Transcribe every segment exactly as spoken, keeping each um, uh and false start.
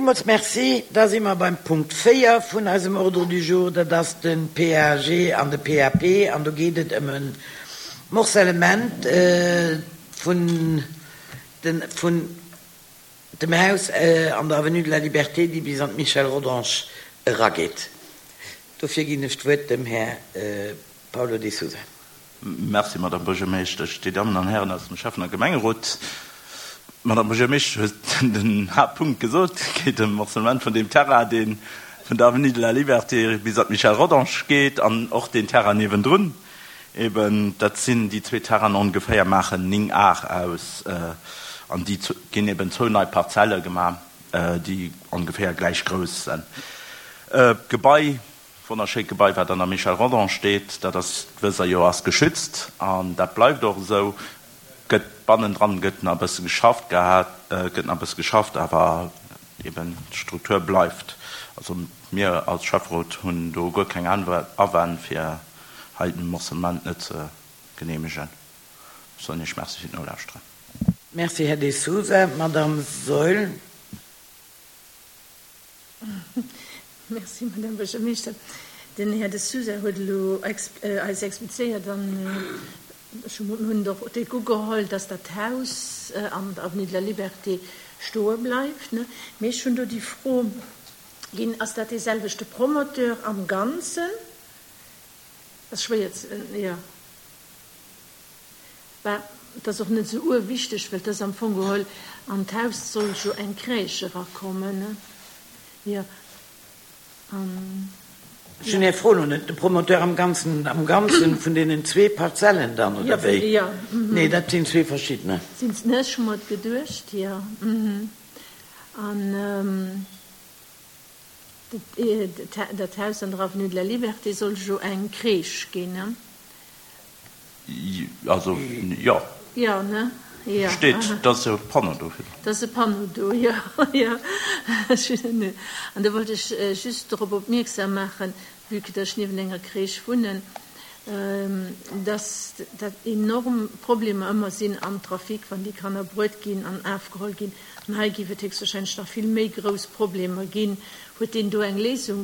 Villmools Merci. Da si mer beim Punkt véier vun eisem Ordre du jour. Dat ass de P A G an de P A P. An do geet et ëm e Morcellement vun den, vun dem Haus an der Avenue de la Liberté, déi bis an d'Michel Rodange erageet. Dofir ginn ech d'Wuert dem Här Paulo de Sousa. Merci, Madame Buergermeeschtesch, Dir Dammen an Hären aus dem Schäffen a Gemengerot. D'Madame Buergermeeschtesch huet den Haaptpunkt gesot. Et geet ëm Morcellement vun deem Terrain, dee vun der Avenue de la Liberté bis an d'Michel Rodange geet, an och deen Terrain niewendrun. Eben, dat sinn déi zwee Terrainen ongeféier, maachen néng Ar aus, an déi ginn eben zwou nei Parzelle gemaach, déi ongeféier gläich grouss sinn. D'Gebai, wonnerschéit Gebai, wat an der Michel Rodange steet, dat ass, wësst Der jo, ass geschützt an dat bleift och esou. Gëtt bannendran gëtt nach e bësse geschafft gehat, gëtt nach e bësse geschafft, awer eben d'Struktur bleift. Also mir als Schäfferot hunn do guer keng Awänn, fir hei den Morcellement net ze geneemegen. Ech soen Iech Merci fir d'Nolauschteren. Merci, Här De Sousa. Madame Saeul. Merci, Madame Buergermeeschter. Den Här De Sousa huet elo eis explizéiert, an ech hunn et och déck ugeholl, dass dat Haus an der Avenue de la Liberté stoe bleift. Mee ech hunn do déi Fro ginn, Ass dat dee selwechte Promoteur am Ganzen? Ass schwéier ze, jo. Bah, et ass och net esou urwichteg, well et ass am Fong geholl, an d'Haus soll jo eng Crèche erakommen, jo. An, Ech hunn Är Fro elo net. De Promoteur am Ganzen, am Ganzen vun deenen zwee Parzellen dann, oder wéi? Jo. Nee, dat sinn zwee verschiddener. Sinn se, ech hu mer et geduecht, jo. An dat Haus an der Avenue de la Liberté soll jo eng Crèche ginn, ne? Also, jo. Jo, ne? Jo. Steet, et ass e Panneau do. Et ass e Panneau do, jo, jo. An do wollt ech just dorop opmierksam maachen, vue que dass ech niewent enger Crèche wunnen, dass dat enorm Problemer ëmmer sinn am Trafic, wann déi Kanner bruet ginn an afgeholl ginn. An hei géif et héchstwahrscheinlech nach vill méi grouss Problemer ginn. Huet deen do eng Léisung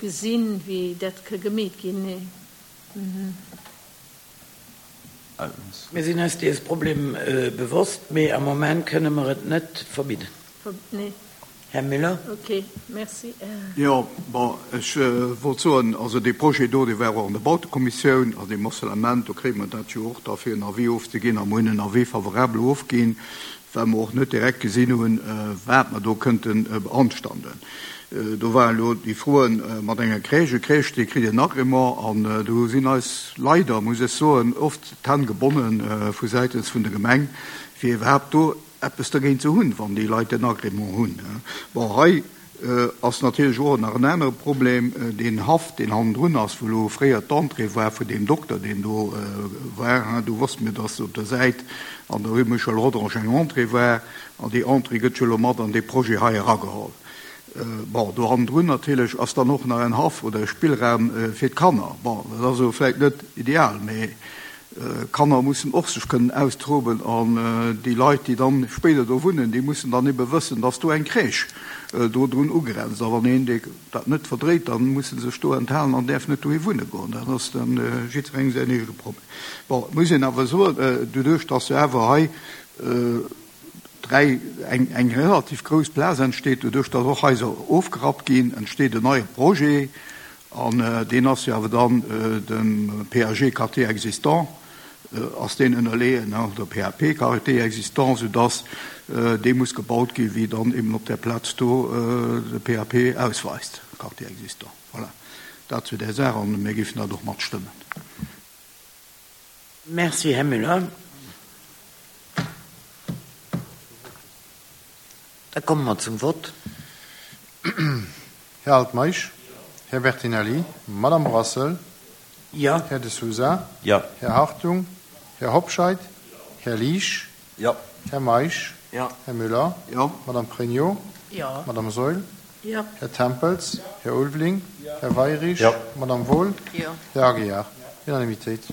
gesinn, wéi dat ka gemeet ginn? Nee. Mir sinn eis dees Problem bewosst, mee am Moment kënne mer et net verbidden. Nee. Här Müller. Ok, merci. Jo, bon, ech wollt soen, also dee Projet do, dee war och an der Bautekommissioun, also dee Morcellement, do kréie mer dat jo och da fir en Avis ofzeginn, a mer hunn en Avis favorable ofginn, well mer och net direkt gesinn hunn, wat mer do kënnte beanstanden. Do waren elo déi Froen mat enger Crèche. E Crèche, dee kritt en Agrément, an do sinn eis leider, muss ech soen, oft d'Hänn gebonne vu säitens vun der Gemeng, fir iwwerhaapt do eppes dergéint ze hunn, wann déi Leit den Agrément hunn. Bon, hei ass natierlech och nach en anere Problem, deen Haff, deen hannendrun ass, wou elo fréier d'Entrée war vun deem Dokter, deen do war. Do wosste mir, dass op der Säit an der Rue Michel Rodange eng Entrée war, an déi Entrée gëtt jo elo mat an dee Projet hei erageholl. Bon, do hannendrun natierlech ass dann och nach en Haff oder e Spillraum fir d'Kanner. Bon, dat ass elo vläicht net ideal, mee Kanner mussen och sech kënnen austoben, an déi Leit, déi dann spéider do wunnen, déi mussen dann ebe wëssen, dass do eng Crèche do drun ugrenzt. A wann een dee dat net verdréit, dann muss e sech do enthalen an däerf net dohi wunne goen. Dat ass dann jiddwerengem säin eegene Problem. Bon, et muss een awer soen, doduerch dass jo awer hei dräi eng eng relativ grouss Plaz entsteet, doduerch dass och Haiser ofgerappt ginn, entsteet en neie Projet. An deen ass jo awer dann dem P A G Quartier existant, ass deen ënnerleeën, oder P A P Quartier existant, soudass dee muss gebaut ginn, wéi dann eben op där Plaz do de P A P ausweist, Quartier existant. Voilà, dat zu där Saach, an mir géifen dat och matstëmmen. Merci, Här Müller. Da komme mer zum Vott. Här Altmeisch. Här Bertinelli. Madame Brassel. Jo. Här De Sousa. Jo. Här Hartung. Här Hobscheit. Här Liesch. Jo. Här Meisch. Jo. Här Müller. Jo. Madame Pregno. Jo. Madame Saeul. Jo. Här Tempels. Här Ulveling. Här Weyrich. Jo. Madame Wohl. Jo. Här Aguiar. Unanimitéit.